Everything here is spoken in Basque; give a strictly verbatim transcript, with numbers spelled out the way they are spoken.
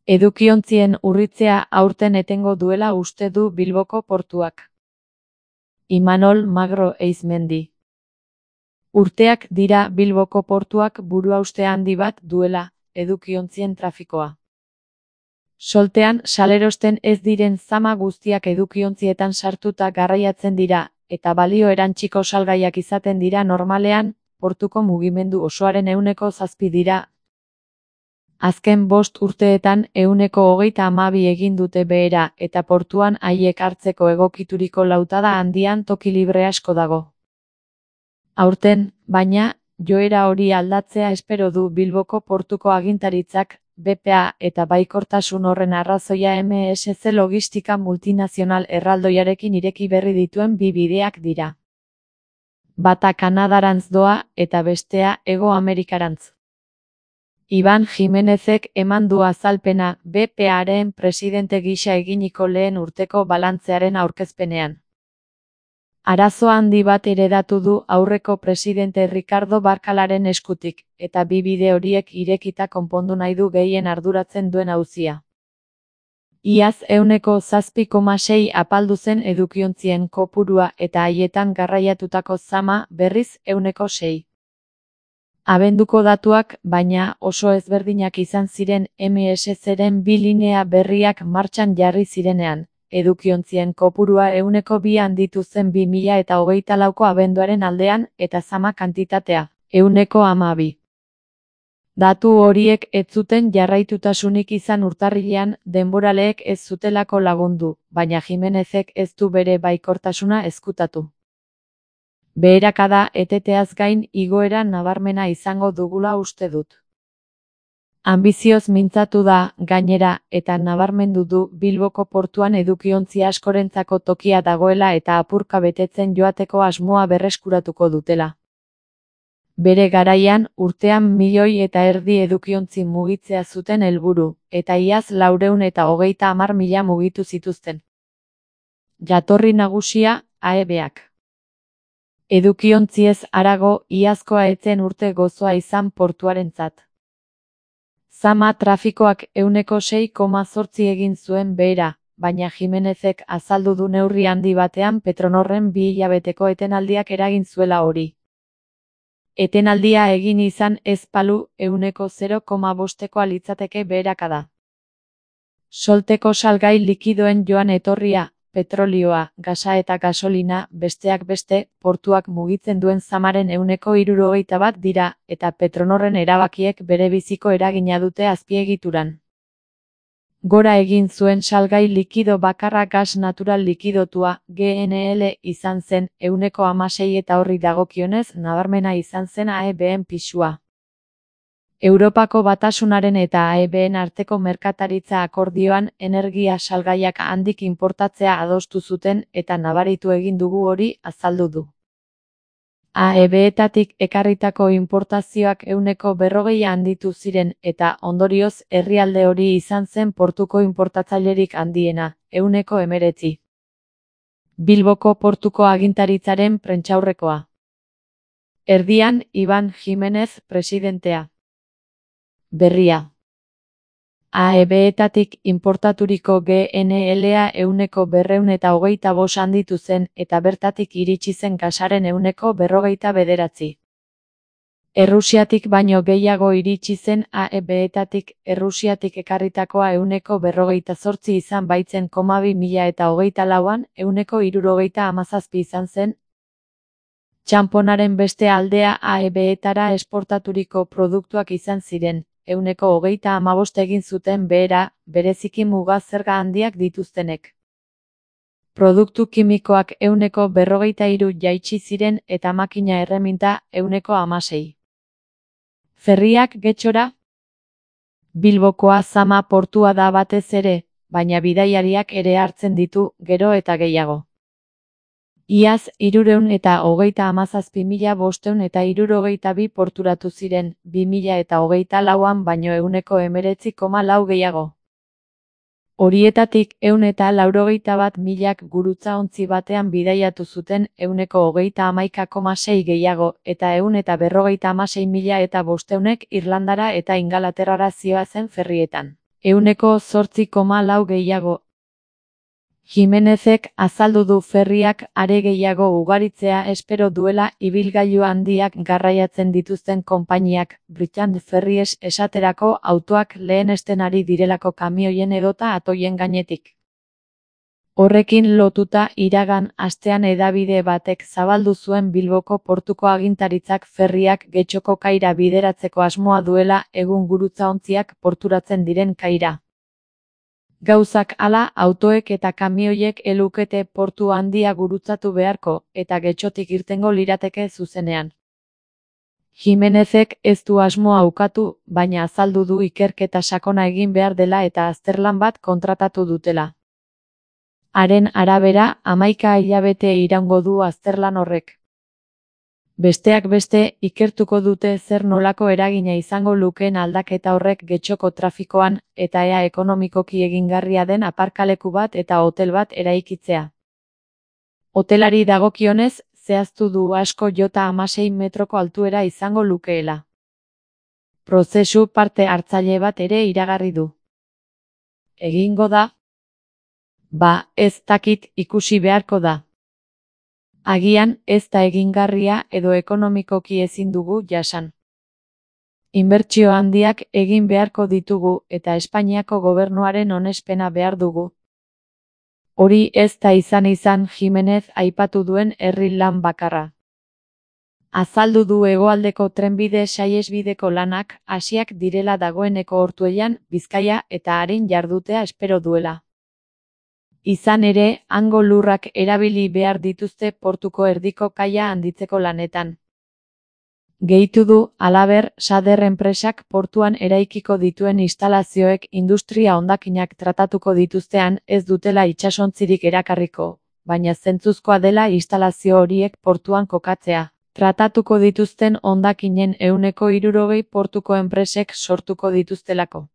Edukiontzien urritzea aurten etengo duela uste du Bilboko portuak. Imanol Magro Eizmendi. Urteak dira Bilboko portuak buruhauste handi bat duela, edukiontzien trafikoa. Soltean salerosten ez diren zama guztiak edukiontzietan sartuta garraiatzen dira, eta balio erantsiko salgaiak izaten dira normalean, portuko mugimendu osoaren ehuneko zazpi dira. Azken bost urteetan ehuneko hogeita hamabi egin dute behera eta portuan haiek hartzeko egokituriko lautada handian toki libre asko dago. Aurten, baina, joera hori aldatzea espero du Bilboko portuko agintaritzak, B P A eta baikortasun horren arrazoia M S C Logistika Multinazional erraldoiarekin ireki berri dituen bi bideak dira. Bata Kanadarantz doa eta bestea Hego Amerikarantz. Iban Jimenezek eman du azalpena B P A-ren presidente gisa eginiko lehen urteko balantzearen aurkezpenean. Arazo handi bat heredatu du aurreko presidente Ricardo Barkalaren eskutik, eta bi bide horiek irekita konpondu nahi du gehien arduratzen duen auzia. Iaz ehuneko zazpi koma sei apaldu zen edukiontzien kopurua eta haietan garraiatutako zama berriz ehuneko sei. Abenduko datuak, baina, oso ezberdinak izan ziren M S C-ren bi linea berriak martxan jarri zirenean, edukiontzien kopurua ehuneko bi handitu zen bi mila eta hogeita lauko abenduaren aldean eta zama kantitatea, ehuneko hamabi. Datu horiek ez zuten jarraitutasunik izan urtarrilean, denboraleek ez zutelako lagundu, baina Jimenezek ez du bere baikortasuna ezkutatu. Beherakada eteteaz gain igoera nabarmena izango dugula uste dut. Anbizioz mintzatu da, gainera, eta nabarmendu du Bilboko portuan edukiontzi askorentzako tokia dagoela eta apurka betetzen joateko asmoa berreskuratuko dutela. Bere garaian, urtean milioi eta erdi edukiontzi mugitzea zuten helburu, eta iaz laurehun eta hogeita hamar mila mugitu zituzten. Jatorri nagusia, A E B-ak. Edukiontziez harago, iazkoa etzen urte gozoa izan portuarentzat. Zama trafikoak ehuneko sei koma zortzi egin zuen behera, baina Jimenezek azaldu du neurri handi batean Petronorren bi hilabeteko etenaldiak eragin zuela hori. Etenaldia egin izan ez palu ehuneko zero koma bostekoa litzateke beherakada. Solteko salgai likidoen joan etorria, petrolioa, gasa eta gasolina, besteak beste, portuak mugitzen duen zamaren ehuneko hirurogeita bat dira, eta Petronorren erabakiek bere biziko eragina dute azpiegituran. Gora egin zuen salgai likido bakarra gas natural likidotua, G N L izan zen, ehuneko hamasei eta horri dagokionez nabarmena izan zen A E B-en pisua. Europako Batasunaren eta A E B-en arteko merkataritza akordioan energia salgaiak handik inportatzea adostu zuten eta nabaritu egin dugu hori azaldu du. A E B-etatik ekarritako inportazioak ehuneko berrogei handitu ziren eta ondorioz herrialde hori izan zen portuko inportatzailerik handiena, ehuneko hemeretzi. Bilboko portuko agintaritzaren prentsaurrekoa. Erdian, Iban Jimenez presidentea. Berria. A E B-etatik inportaturiko G N L-a ehuneko berrehun eta hogeita bost handitu zen eta bertatik iritsi zen gasaren ehuneko berrogeita bederatzi. Errusiatik baino gehiago iritsi zen A E B-etatik Errusiatik ekarritakoa ehuneko berrogeita zortzi izan baitzen koma bi mila eta hogeita lauan ehuneko hirurogeita hamazazpi izan zen. Txanponaren beste aldea A E B-etara esportaturiko produktuak izan ziren, ehuneko hogeita hamabost egin zuten behera, bereziki muga zerga handiak dituztenek. Produktu kimikoak ehuneko berrogeita hiru jaitsi ziren eta makina erreminta ehuneko hamasei. Ferriak getxora? Bilbokoa zama portua da batez ere, baina bidaiariak ere hartzen ditu, gero eta gehiago. Iaz, hirurehun eta hogeita hamazazpi mila bostehun eta hirurogeita bi porturatu ziren, bi mila eta hogeita lauan baino ehuneko hemeretzi koma lau gehiago. Horietatik ehun eta laurogeita bat milak gurutzaontzi batean bidaiatu zuten ehuneko hogeita hamaika koma sei gehiago eta ehun eta berrogeita hamasei mila eta bostehun Irlandara eta Ingalaterrara zihoazen ferrietan. ehuneko zortzi koma lau gehiago. Jimenezek azaldu du ferriak are gehiago ugaritzea espero duela ibilgailu handiak garraiatzen dituzten konpainiak, British Ferries esaterako autoak lehenesten ari direlako kamioien edota atoien gainetik. Horrekin lotuta iragan astean hedabide batek zabaldu zuen Bilboko portuko agintaritzak ferriak Getxoko kaira bideratzeko asmoa duela egun gurutzaontziak porturatzen diren kaira. Gauzak hala, autoek eta kamioiek elukete portu handia gurutzatu beharko, eta Getxotik irtengo lirateke zuzenean. Jimenezek ez du asmoa ukatu, baina azaldu du ikerketa sakona egin behar dela eta azterlan bat kontratatu dutela. Haren arabera, hamaika hilabete iraungo du azterlan horrek. Besteak beste, ikertuko dute zer nolako eragina izango lukeen aldaketa horrek Getxoko trafikoan, eta ea ekonomikoki egingarria den aparkaleku bat eta hotel bat eraikitzea. Hotelari dagokionez, zehaztu du asko jota hamasei metroko altuera izango lukeela. Prozesu parte hartzaile bat ere iragarri du. Egingo da? Ba, ez dakit, ikusi beharko da. Agian, ez da egingarria edo ekonomikoki ezin dugu jasan. Inbertsio handiak egin beharko ditugu eta Espainiako gobernuaren onespena behar dugu. Hori ez da izan izan Jimenez aipatu duen herri lan bakarra. Azaldu du hegoaldeko trenbide saihesbideko lanak hasiak direla dagoeneko Ortuellan, Bizkaia eta Arin jardutea espero duela. Izan ere, hango lurrak erabili behar dituzte portuko erdiko kaia handitzeko lanetan. Gehitu du, halaber, Sader enpresak portuan eraikiko dituen instalazioek industria hondakinak tratatuko dituztean ez dutela itsasontzirik erakarriko, baina zentzuzkoa dela instalazio horiek portuan kokatzea. Tratatuko dituzten hondakinen ehuneko hirurogei portuko enpresek sortuko dituztelako.